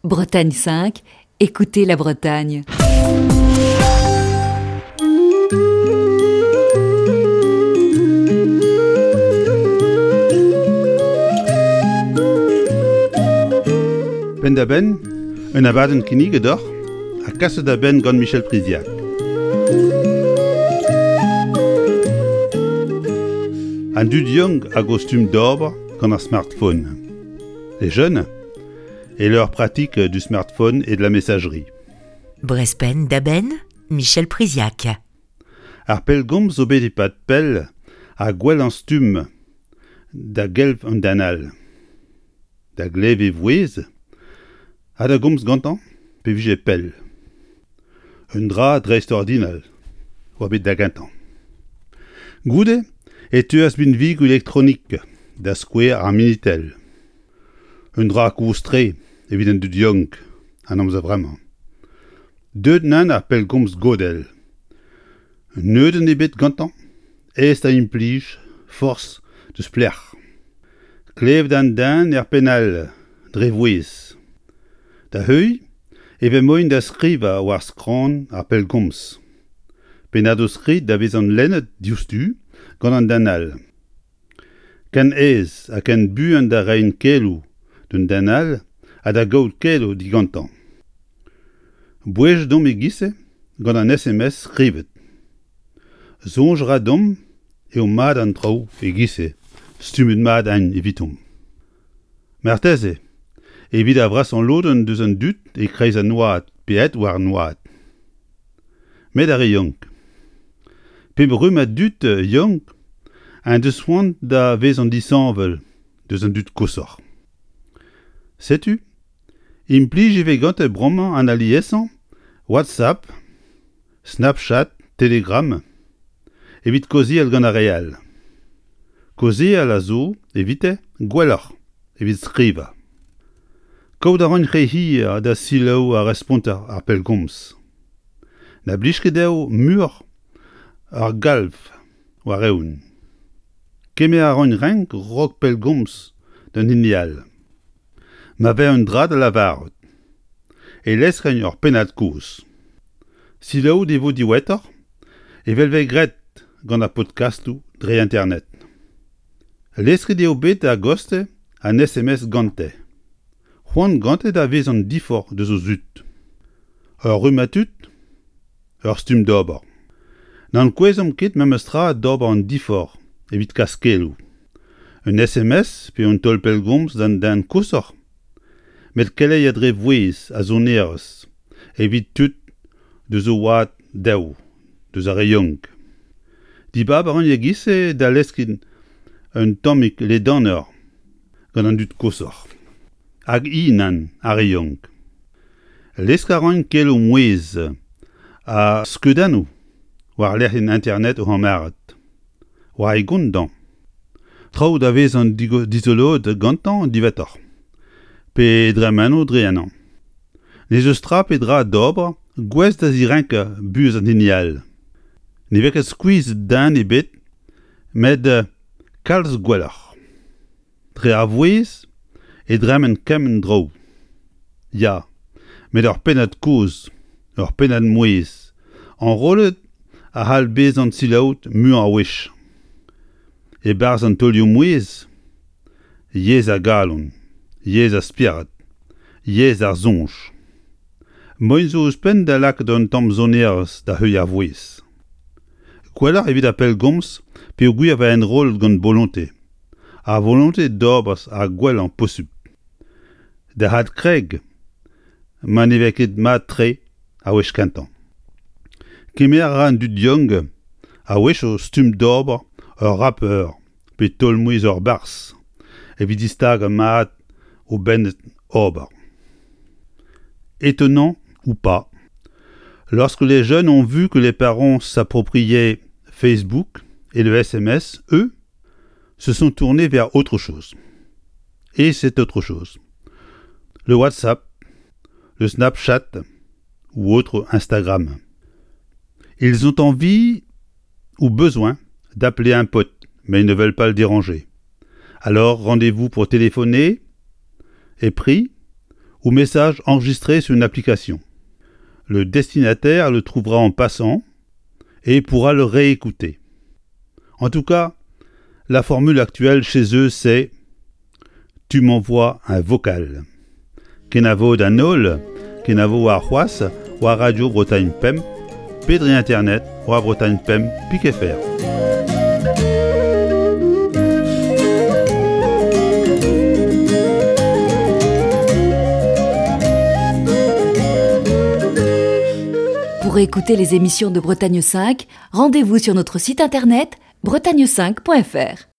Bretagne 5, écoutez la Bretagne. Penn-da-benn, un abadenn kinniget deoc'h ha kaset da benn gant Michel Priziac. An dud yaouank hag o stumm d'ober gant ar smartphone. Les jeunes et leur pratique du smartphone et de la messagerie. Brezpenn da benn, Michel Priziac. Ar pellgomz zo bet e-pad pell ha gwellañ stumm da gelv an den all. Da glev e vouezh ha da gomz gantañ pe vije pell. Un dra dreistordinal oa bet da gentañ. Goude e teuas binvigoù elektronik, da skouer ar Minitel. Un dra kozh-tre evit an dud yaouank an amzer vremañ. Deuet nann ar pellgomz godell. Neudenn ebet gantañ, aes da implij, forzh deus pelec'h. Klevet an den er penn all, dre vouezh. Da heuilh e vez moaien da skrivañ war skramm ar pellgomz. Pennadoù-skrid da vezañ lennet diouzhtu gant an den all. Ken aes ha ken buan da reiñ keloù d'un den all ha da gaout keloù digantañ. Bouezet omp e-giz-se gant an SMS skrivet. Soñj a ra deomp eo mat an traoù e-giz-se, stummet mat int evitomp. Marteze evit ar vrasañ lodenn deus an dud e-kreiz an oad pe aet war an oad. Met ar re yaouank. Pep rummad dud yaouank en deus c'hoant da vezañ disheñvel deus an dud koshoc'h. Setu, implij e vez gante bremañ an aliesañ WhatsApp, Snapchat, Telegram evit kaozeal gant ar re all. Kaozeal a zo, evite, gwelloc'h evit skrivañ. Kaout a ran re hir da selaou ar responter ar pellgomz. Na blij ket dezho muioc'h ar galv war-eeun. Kemer a ran renk 'raok pellgomz d'an hini all. Ma vez un dra da lavarout e leskren ur pennad-kozh. Selaouet e vo diwezhatoc'h evel 'vez graet gant ar podkastoù dre internet. Lesket eo bet a-gostez an SMS gante. C'hoant gante da vezañ diforc'h deus o zud. Ur rummad tud, ur stumm d'ober. N'ankouezomp ket memestra d'ober an diforc'h evit kas keloù. Un SMS pe un taol pellgomz d'an den koshoc'h, met keleier dre vouezh ha sonerezh evit tud deus o oad dezho, deus ar re yaouank. Dibab a ran e-giz-se da leskiñ un tammig ledanoc'h gant an dud koshoc'h. Hag i nann, ar re yaouank. Lesk a ran keloù mouezh ha skeudennoù war lec'hienn internet o c'hamarad. War e gont dañ. Traoù da vezañ dizoloet gantañ diwezhatoc'h. Pe dremeno dre ennañ. N'ez eus tra pe dra d'ober gouest da zirenkañ buhez an hini all. Ne vez ket skuizh den ebet met kalz gwelloc'h. Dre ar vouezh e dremen kement draoù. Ya, met ur pennad kozh, ur pennad mouezh, enrollet a c'hall bezañ selaouet muiañ a wech. E-barzh an taolioù-mouezh, yezh ar galon, yezh ar spered, yezh ar soñj. Moaien zo ouzhpenn da lakaat un tamm sonerezh da heuilh ar vouezh. Gwelloc'h evit ar pellgomz peogwir e vez enrollet gant bolontez. Ar volontez d'ober ar gwellañ posupl. Da adkreg ma ne vez ket mat-tre ar wech kentañ. Kemer a ra an dud yaouank a-wechoù stumm d'ober ur rapeur pe taol-mouezh ur barzh evit distagañ mat o benn ober. Étonnant ou pas, lorsque les jeunes ont vu que les parents s'appropriaient Facebook et le SMS, eux, se sont tournés vers autre chose. Et c'est autre chose. Le WhatsApp, le Snapchat ou autre Instagram. Ils ont envie ou besoin d'appeler un pote, mais ils ne veulent pas le déranger. Alors rendez-vous pour téléphoner est pris, ou message enregistré sur une application. Le destinataire le trouvera en passant et pourra le réécouter. En tout cas, la formule actuelle chez eux, c'est Tu m'envoies un vocal. Kenavo d'an holl, kenavo warc'hoazh war Radio Bretagne Pemp pe dre internet war Bretagne Pemp pik fr. Pour écouter les émissions de Bretagne 5, rendez-vous sur notre site internet bretagne5.fr.